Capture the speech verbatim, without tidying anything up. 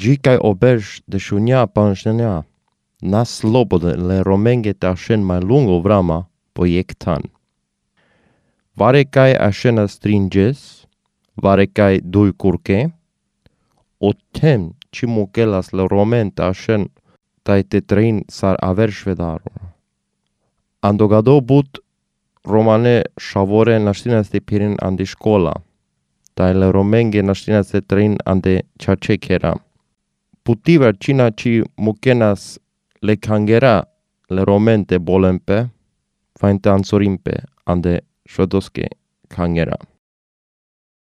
Gicai oberge de shunia panjnea, nas slobode le romenge ta shen mai lungo vrama poiectan. Varecai ashena stringes, varecai dui curche, o tem ci mugelas le romen ta shen tai te train sar aver shvedaro. Andogado but romane shavore nastinas de pirin andi școala, tai le romenge nastinas de train ande chachekera. Putiver cina ci mukenas le cangera le romente bolempe, fainte ansorimpe ande shodoske cangera.